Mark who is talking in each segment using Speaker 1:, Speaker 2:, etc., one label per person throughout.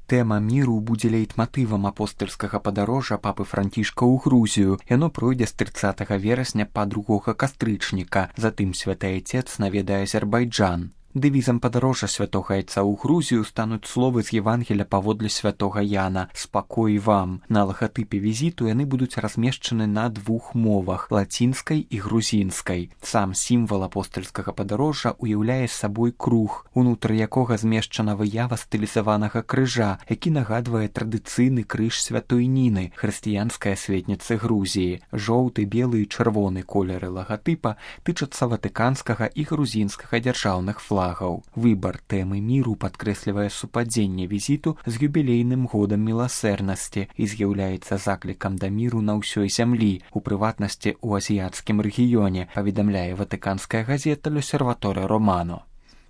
Speaker 1: Тэма міру будзе лейтматывам апостальскага падарожжа папы Францішка ў Грузію. Яно пройдзе з 30 верасня па 2 кастрычніка. Затым святы айцец наведае Азербайджан. Дэвізам падарожжа святога айца ў Грузію стануць словы з Евангеля паводле святога Яна «Спакой вам». На лагатыпе візіту яны будуць размешчаны на 2 мовах – лацінскай і грузінскай. Сам сімвал апостальскага падарожжа уяўляе сабой круг, унутры якога змешчана выява стылізаванага крыжа, які нагадвае традыцыйны крыж святой Ніны, хрысціянскай асветніцы Грузіі. Жоўты, белы і чырвоны колеры лагатыпа тычацца ватыканскага і грузінскага дзяржаўных флагаў. Выбар тэмы міру падкрэслівае супадзенне візіту з юбілейным годам міласэрнасці і з'яўляецца заклікам да міру на ўсёй зямлі, у прыватнасці ў азіяцкім рэгіёне, паведамляе ватыканская газета «L'Osservatore Romano».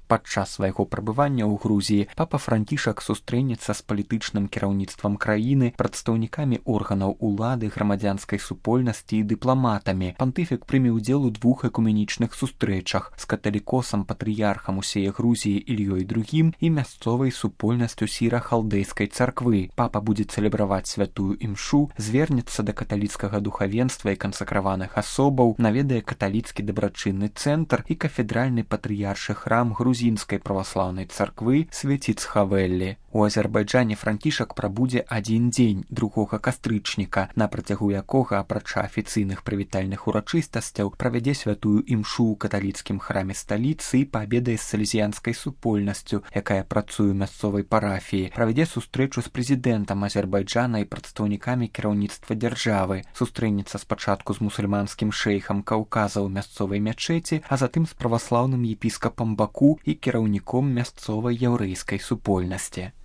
Speaker 1: Падчас свайго прабывання ў Грузіі папа Францішак сустрэнецца з палітычным кіраўніцтвам краіны, прадстаўнікамі органаў улады, грамадзянскай супольнасці і дыпламатамі. Пантыфік прыме ўдзел у 2 экуменічных сустрэчах з каталікосам патрыярхам усей Грузіі Ільёй II і мясцовай супольнасцю сіра-халдэйскай царквы. Папа будзе цэлебраваць святую імшу, звернецца да каталіцкага духавенства і кансакраваных асобаў, наведае каталіцкі дабрачынны цэнтр і кафедральны патрыяршы храм грузінскай праваслаўнай царквы Свеціцхавеллі. У Азербайджане Францішак прабудзе 1 дзень 2 кастрычніка, на працягу якога, апрача афіцыйных прывітальных урачыстасцяў, правядзе святую імшу ў каталіцкім храме сталіцы і паабедае з салезіянскай супольнасцю, якая працуе ў мясцовай парафіі, правядзе сустрэчу з прэзідэнтам Азербайджана і прадстаўнікамі кіраўніцтва дзяржавы, сустрэнецца спачатку з мусульманскім шэйхам Каўказа ў мясцовай мячэці, а затым з праваслаўным епіскапам Баку і кіраўніком мясцовай яўрэйскай супольнасці.